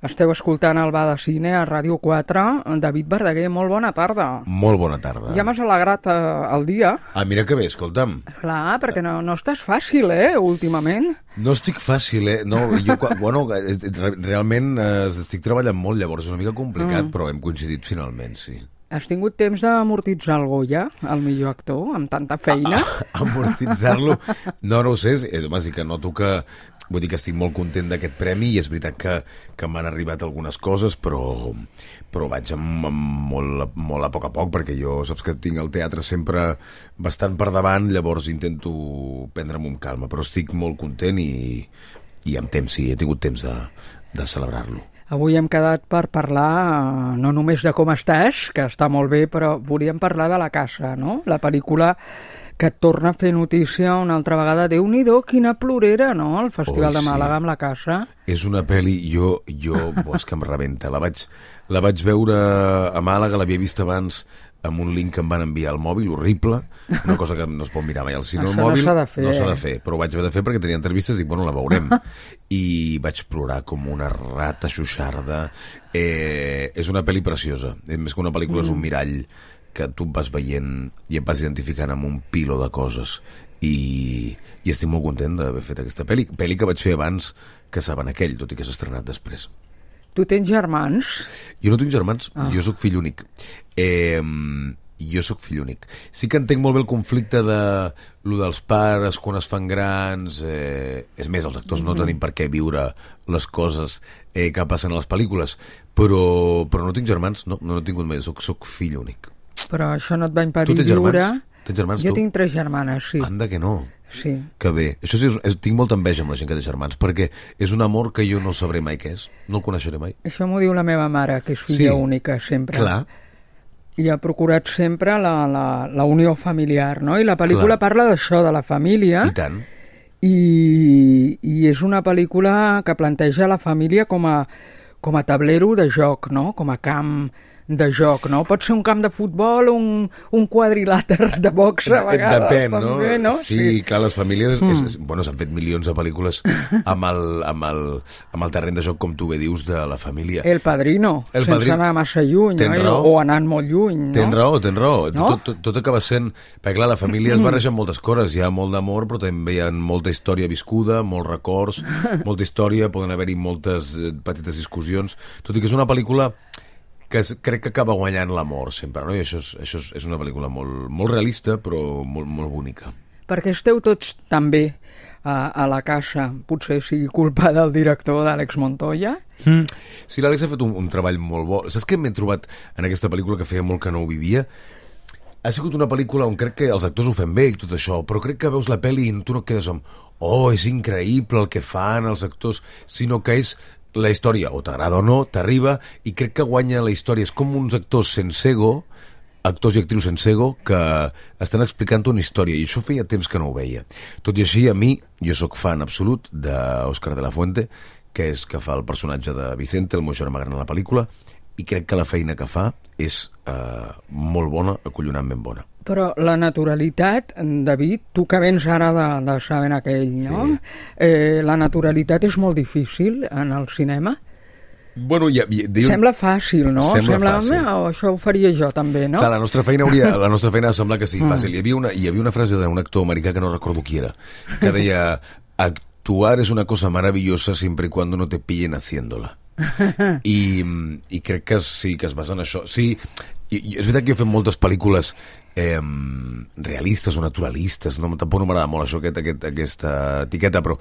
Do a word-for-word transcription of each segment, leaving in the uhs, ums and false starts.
Esteu escoltant el Bar de Cine a Ràdio quatre. David Verdaguer, molt bona tarda. Molt bona tarda. Ja m'has alegrat eh, el dia. Ah, mira que bé, escolta'm. Clar, perquè no, no estàs fàcil, eh, últimament. No estic fàcil, eh? No, jo, bueno, realment eh, estic treballant molt, llavors és una mica complicat, mm. però hem coincidit finalment, sí. Has tingut temps d'amortitzar el Goya, el millor actor, amb tanta feina? Ah, amortitzar-lo? No, no ho sé, és, home, sí que noto que... Vull dir que estic molt content d'aquest premi i és veritat que, que m'han arribat algunes coses, però, però vaig amb, amb molt, molt a poc a poc, perquè jo saps que tinc el teatre sempre bastant per davant, llavors intento prendre'm amb calma, però estic molt content i, i amb temps, sí, he tingut temps de, de celebrar-lo. Avui hem quedat per parlar no només de com estàs, que està molt bé, però volíem parlar de La Casa, no? La pel·lícula que et torna a fer notícia una altra vegada. Déu-n'hi-do, quina plorera, no?, el Festival oh, de Màlaga sí. amb La Casa. És una pel·li, jo, jo bo, és que em rebenta. La vaig, la vaig veure a Màlaga, l'havia vist abans amb un link que em van enviar al mòbil, horrible, una cosa que no es pot mirar mai al cine al mòbil. No s'ha de fer. No s'ha de fer, però ho vaig haver de fer perquè tenia entrevistes i, bueno, la veurem. I vaig plorar com una rata xuixarda. Eh, és una pel·li preciosa. Més que una pel·lícula mm. és un mirall que tu vas veient i et vas identificant amb un pilo de coses i, i estic molt content d'haver fet aquesta pel·li, pel·li que vaig fer abans que Saben aquell, tot i que s'ha estrenat després. Tu tens germans? Jo no tinc germans, ah. jo sóc fill únic. Eh, jo sóc fill únic. Sí que entenc molt bé el conflicte de lo dels pares quan es fan grans, eh, és més, els actors mm-hmm. no tenim per què viure les coses eh, que passen a les pel·lícules, però, però no tinc germans, no, no, no he tingut mai, soc, soc fill únic. Però això no et va impedir viure... Germans? Tens germans, jo tu? tinc tres germanes, sí. Anda que no. Sí. Que bé. Això sí, és, és, tinc molta enveja amb la gent que té germans, perquè és un amor que jo no sabré mai què és. No el coneixeré mai. Això m'ho diu la meva mare, que és filla sí. única, sempre. Clar. I ha procurat sempre la, la, la unió familiar, no? I la pel·lícula Clar. parla d'això, de la família. I tant. I, i és una pel·lícula que planteja la família com a, com a tablero de joc, no? Com a camp de joc, no? Pot ser un camp de futbol o un, un quadrilàter de box a vegades. Depèn, també, no? no? Sí, sí, clar, les famílies... Mm. És, és, bueno, s'han fet milions de pel·lícules amb el, amb, el, amb el terreny de joc, com tu bé dius, de la família. El Padrino, el sense padrino. anar massa lluny, no? o anant molt lluny, no? Tens raó, tens raó. No? Tot, tot, tot acaba sent... Perquè, clar, la família es barreja moltes coses. Hi ha molt d'amor, però també hi ha molta història viscuda, molts records, molta història, poden haver-hi moltes petites discussions. Tot i que és una pel·lícula que crec que acaba guanyant l'amor sempre, no? I això és, això és, és una pel·lícula molt, molt realista, però molt, molt bonica. Perquè esteu tots també a, a La Casa, potser sigui culpa del director, d'Àlex Montoya? Mm. Sí, l'Àlex ha fet un, un treball molt bo. Saps què m'he trobat en aquesta pel·lícula que feia molt que no ho vivia? Ha sigut una pel·lícula on crec que els actors ho fan bé i tot això, però crec que veus la pel·li i tu no quedes amb oh, és increïble el que fan els actors, sinó que és la història, o t'agrada o no, t'arriba, i crec que guanya la història. És com uns actors sense ego, actors i actrius sense ego, que estan explicant una història, i això feia temps que no ho veia. Tot i així, a mi, jo sóc fan absolut d'Òscar de la Fuente, que és que fa el personatge de Vicente, el meu germà gran a la pel·lícula, i crec que la feina que fa és eh, molt bona, acollonantment bona. Però la naturalitat, David, tu que vens ara de, de Saben aquell, no? Sí. Eh, la naturalitat és molt difícil en el cinema? Bueno, ja, ja, diu... Sembla fàcil, no? Sembla, Sembla fàcil. Oh, això ho faria jo també, no? Clar, la nostra feina hauria, la nostra feina sembla que sigui fàcil. Hi havia una, hi havia una frase d'un actor americà que no recordo qui era, que deia, actuar és una cosa maravillosa siempre y cuando no te pillen haciéndola. I, i crec que sí, que es basa en això. Sí, i, i és veritat que he fet moltes pel·lícules eh, realistes o naturalistes, no? Tampoc no m'agrada molt això, aquest, aquest, aquesta etiqueta, però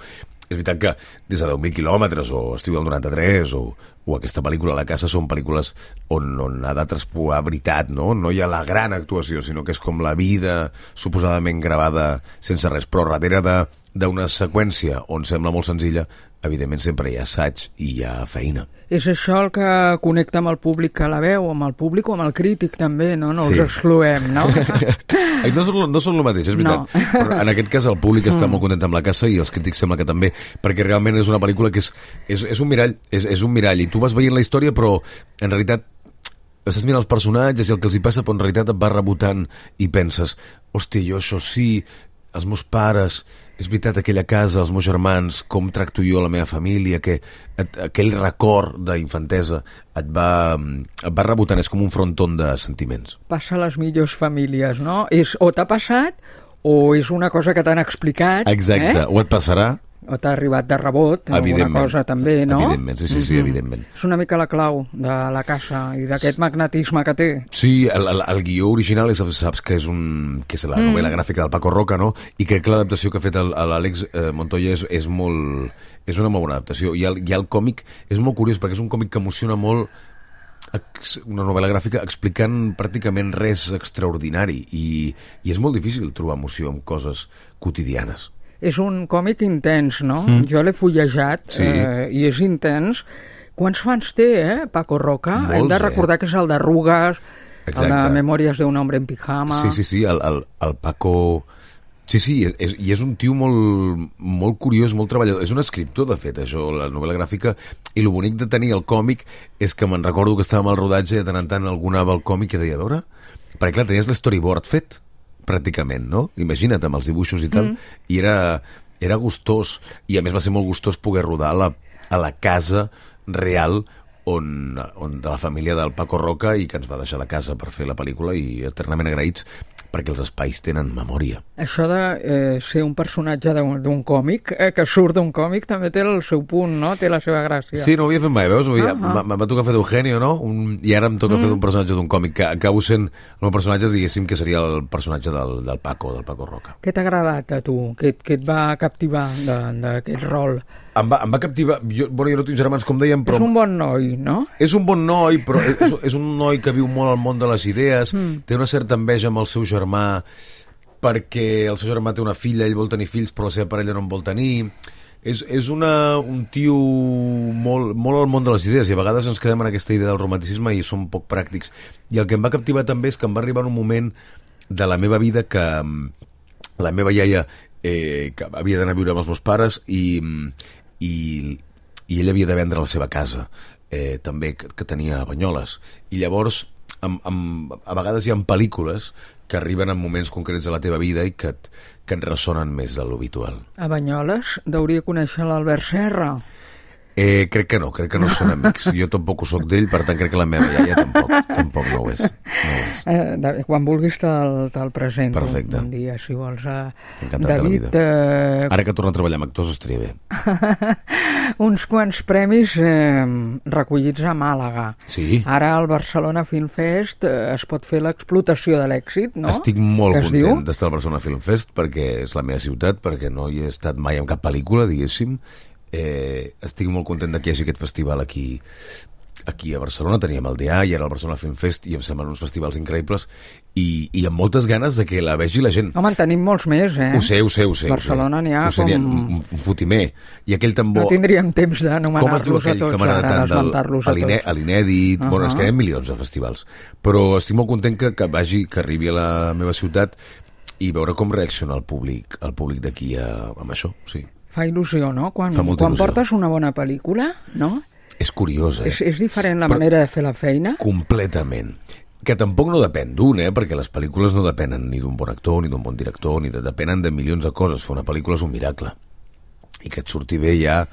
és veritat que des de deu mil quilòmetres o Estiu del noranta-tres o, o aquesta pel·lícula La Casa són pel·lícules on, on ha de traspuar veritat, no? No hi ha la gran actuació, sinó que és com la vida suposadament gravada sense res, però darrere de d'una seqüència on sembla molt senzilla, evidentment sempre hi ha assaig i hi ha feina. És això el que connecta amb el públic que la veu, amb el públic o amb el crític també, no? No sí. els excloem, no? no, són, no són el mateix, és veritat. No. Però en aquest cas el públic està mm. molt content amb La Casa i els crítics sembla que també, perquè realment és una pel·lícula que és, és, és un mirall, és, és un mirall, i tu vas veient la història, però en realitat estàs mirant els personatges i el que els hi passa, però en realitat et va rebotant i penses, hòstia, jo això sí... els meus pares, és veritat, aquella casa, els meus germans, com tracto jo la meva família, que et, aquell record d'infantesa et va, et va rebotant, és com un fronton de sentiments. Passa a les millors famílies, no? És, o t'ha passat o és una cosa que t'han explicat. Exacte, eh? o et passarà. O t'ha arribat de rebot, alguna cosa també, no? Evidentment, sí, sí, sí, mm-hmm. evidentment. És una mica la clau de la casa i d'aquest magnetisme que té. Sí, el, el, el guió original és, saps que és, un, que és la novel·la mm. gràfica del Paco Roca, no? I crec que l'adaptació que ha fet l'Àlex eh, Montoya és, és, molt, és una molt bona adaptació. I el, i el còmic és molt curiós perquè és un còmic que emociona molt, una novel·la gràfica explicant pràcticament res extraordinari i, i és molt difícil trobar emoció en coses quotidianes. És un còmic intens, no? Mm. Jo l'he fullejat sí. eh, i és intens. Quants fans té, eh, Paco Roca? Molts, Hem de recordar eh? que és el d'Arrugues, el de Memòries d'un hombre en pijama... Sí, sí, sí, el, el, el Paco... Sí, sí, és, i és un tio molt, molt curiós, molt treballador. És un escriptor, de fet, això, la novel·la gràfica, i el bonic de tenir el còmic és que me'n recordo que estàvem al rodatge i de tant en tant algú anava al còmic i deia, a veure... Perquè, clar, tenies l'storyboard fet, pràcticament, no? Imagina't, amb els dibuixos i tal, mm. i era, era gustós, i a més va ser molt gustós poder rodar a la, a la casa real on, on de la família del Paco Roca i que ens va deixar la casa per fer la pel·lícula i eternament agraïts perquè els espais tenen memòria. Això de eh, ser un personatge d'un còmic, eh, que surt d'un còmic, també té el seu punt, no? Té la seva gràcia. Sí, no ho havia fet mai, veus? Uh -huh. Em va tocar fer d'Eugenio, no? Un, I ara em toca mm. fer d'un personatge d'un còmic, que acabo sent el meu personatge, diguéssim, que seria el personatge del, del Paco, del Paco Roca. Què t'ha agradat a tu? Què, què et va captivar d'aquest rol? Em va, em va captivar... Jo, bueno, jo no tinc germans, com dèiem, però... És un bon noi, no? És un bon noi, però és, és un noi que viu molt al món de les idees, mm. té una certa enveja amb el seu germà, perquè el seu germà té una filla, ell vol tenir fills, però la seva parella no en vol tenir. És, és una, un tio molt, molt al món de les idees, i a vegades ens quedem en aquesta idea del romanticisme i som poc pràctics. I el que em va captivar també és que em va arribar un moment de la meva vida que la meva iaia eh, que havia d'anar a viure amb els meus pares i... i, i ell havia de vendre la seva casa eh, també, que, que tenia a Banyoles, i llavors amb, amb, a vegades hi ha pel·lícules que arriben en moments concrets de la teva vida i que et, que et ressonen més de l'habitual. A Banyoles deuria conèixer l'Albert Serra. Eh, crec que no, crec que no són amics. Jo tampoc ho soc d'ell, per tant crec que la meva iaia tampoc, tampoc no ho és. No ho és. Eh, David, quan vulguis te'l te presento. Perfecte. Un dia, si vols. Eh, Encantat David, de la vida. Eh... Ara que torna a treballar amb actors estaria bé. Uns quants premis eh, recollits a Màlaga. Sí. Ara al Barcelona Film Fest eh, es pot fer l'explotació de l'èxit, no? Estic molt content d'estar al Barcelona Film Fest perquè és la meva ciutat, perquè no hi he estat mai en cap pel·lícula, diguéssim. Eh, estic molt content que hi hagi aquest festival aquí aquí a Barcelona. Teníem el D A i ara el Barcelona Film Fest i em semblen uns festivals increïbles i, i amb moltes ganes de que la vegi la gent. Home, en tenim molts més, eh? Ho sé, ho sé, ho sé. Barcelona n'hi ha com... un, un fotimer. I aquell tambor... No tindríem temps d'anomenar-los a tots, ara, d'esmentar-los a tots. A l'Inèdit, uh -huh. Bueno, es queden milions de festivals. Però estic molt content que, que vagi, que arribi a la meva ciutat i veure com reacciona el públic, el públic d'aquí amb això, sí. Fa il·lusió, no? Quan, quan il·lusió. Portes una bona pel·lícula, no? És curiós, eh? És, és diferent la Però, manera de fer la feina? Completament. Que tampoc no depèn d'un, eh? Perquè les pel·lícules no depenen ni d'un bon actor, ni d'un bon director, ni de, depenen de milions de coses. Fer una pel·lícula és un miracle. I que et surti bé ja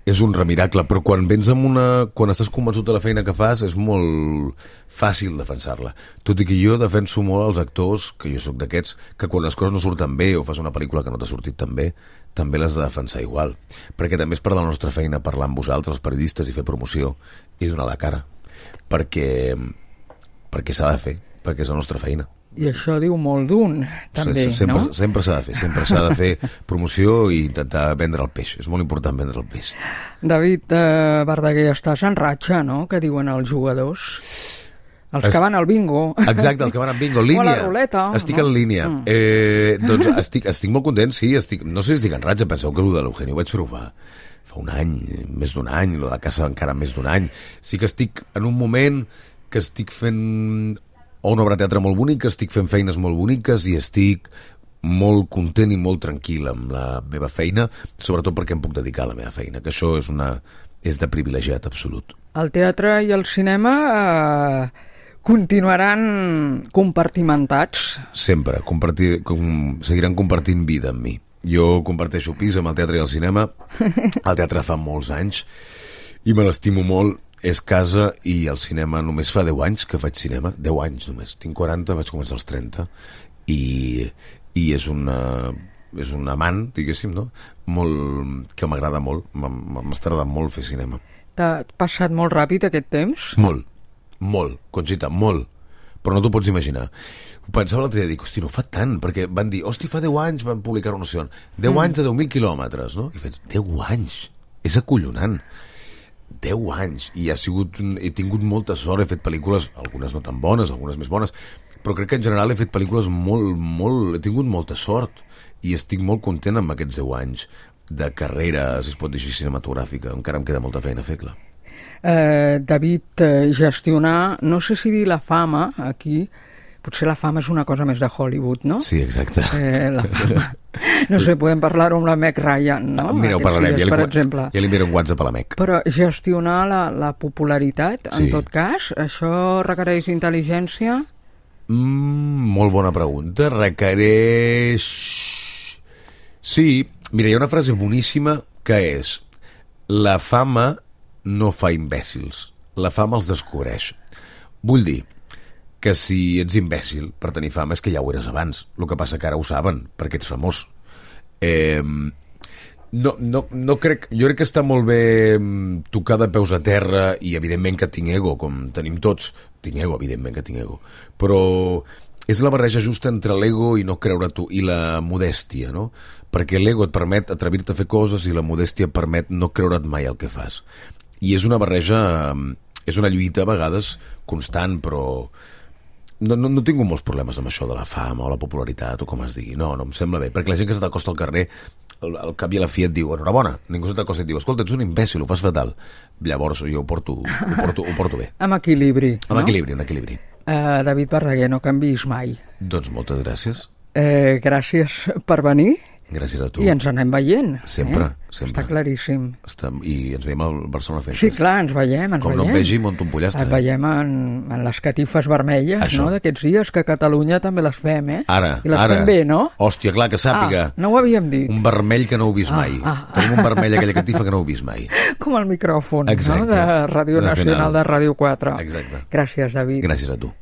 és un remiracle. Però quan vens amb una... Quan estàs convençut de la feina que fas, és molt fàcil defensar-la. Tot i que jo defenso molt als actors, que jo sóc d'aquests, que quan les coses no surten bé o fas una pel·lícula que no t'ha sortit tan bé, també l'has de defensar igual, perquè també és part de la nostra feina parlar amb vosaltres, els periodistes, i fer promoció i donar la cara, perquè perquè s'ha de fer, perquè és la nostra feina. I això diu molt d'un, també, sí, sempre, no? Sempre s'ha de fer, sempre s'ha de fer promoció i intentar vendre el peix, és molt important vendre el peix. David eh, Verdaguer, estàs en ratxa, no?, que diuen els jugadors. Els que van al bingo. Exacte, els que van al bingo. Línia. O a la ruleta. Estic no? en línia. Mm. Eh, doncs estic, estic molt content, sí. Estic, no sé si estic en ratxa, penseu que el de l'Eugenio vaig fer-ho fa, fa un any, més d'un any, el de casa encara més d'un any. Sí que estic en un moment que estic fent una obra de teatre molt bonica, estic fent feines molt boniques i estic molt content i molt tranquil amb la meva feina, sobretot perquè em puc dedicar a la meva feina, que això és, una, és de privilegiat absolut. El teatre i el cinema... Eh... Continuaran compartimentats? Sempre. Compartir, com, seguiran compartint vida amb mi. Jo comparteixo pis amb el teatre i el cinema. El teatre fa molts anys i me l'estimo molt. És casa i el cinema només fa deu anys que faig cinema. deu anys només. Tinc quaranta, vaig començar als trenta. I, i és una... és un amant, diguéssim, no? Molt, que m'agrada molt. M'està agradant molt fer cinema. T'ha passat molt ràpid aquest temps? Molt. Molt, Conxita, molt. Però no t'ho pots imaginar. Ho pensava l'altre dia, dic, hosti, no fa tant, perquè van dir, hosti, fa deu anys van publicar una noció. deu mm. anys de deu mil quilòmetres, no? I faig, deu anys? És acollonant. deu anys. I ha sigut, he tingut molta sort, he fet pel·lícules, algunes no tan bones, algunes més bones, però crec que en general he fet pel·lícules molt, molt... He tingut molta sort i estic molt content amb aquests deu anys de carrera, si es pot dir així, cinematogràfica. Encara em queda molta feina a fer, clar. Eh, David, eh, gestionar, no sé si dir la fama aquí, potser la fama és una cosa més de Hollywood, no? Sí, exacte. Eh, la fama. No sé, podem parlar-ho amb la Meg Ryan, no? Ah, mira, ho parlarem, dies, ja, li, per exemple. ja li enviaré un WhatsApp a la Meg. Però gestionar la, la popularitat, en Sí. tot cas, això requereix intel·ligència? Mm, molt bona pregunta. Requereix... Sí, mira, hi ha una frase boníssima que és: la fama no fa imbècils, la fama els descobreix. Vull dir que si ets imbècil per tenir fama és que ja ho eres abans. El que passa que ara ho saben, perquè ets famós. Eh, no, no, no crec... Jo crec que està molt bé tocar de peus a terra i evidentment que tinc ego, com tenim tots. Tinc ego, evidentment que tinc ego. Però és la barreja justa entre l'ego i no creure tu, i la modèstia, no? Perquè l'ego et permet atrevir-te a fer coses i la modèstia et permet no creure't mai el que fas. I és una barreja, és una lluita a vegades constant, però no, no, no tinc molts problemes amb això de la fama o la popularitat o com es digui. No, no em sembla bé, perquè la gent que se t'acosta al carrer al, al cap i a la fi et diu enhorabona, ningú se t'acosta i et diu escolta, ets un imbècil, ho fas fatal. Llavors jo ho porto, ho porto, ho porto bé. Amb equilibri, Amb no? equilibri, amb equilibri. Uh, David Verdaguer, no canviïs mai. Doncs moltes gràcies. Eh, gràcies per venir. Gràcies a tu. I ens anem veient. Sempre, eh? sempre. Està claríssim. Està, I ens veiem al Barcelona Film Sí, Fest. clar, ens veiem, ens Com veiem. no em vegi, monto un pollastre. Et veiem en, en les catifes vermelles, Això. no?, d'aquests dies, que a Catalunya també les fem, eh? Ara, I les ara. fem bé, no? Hòstia, clar, que sàpiga. Ah, no ho havíem dit. Un vermell que no heu vist Ah, mai. ah. Tenim un vermell a aquella catifa que no heu vist mai. Com el micròfon, Exacte. no?, de Ràdio De Nacional final. de Ràdio quatre. Exacte. Gràcies, David. Gràcies a tu.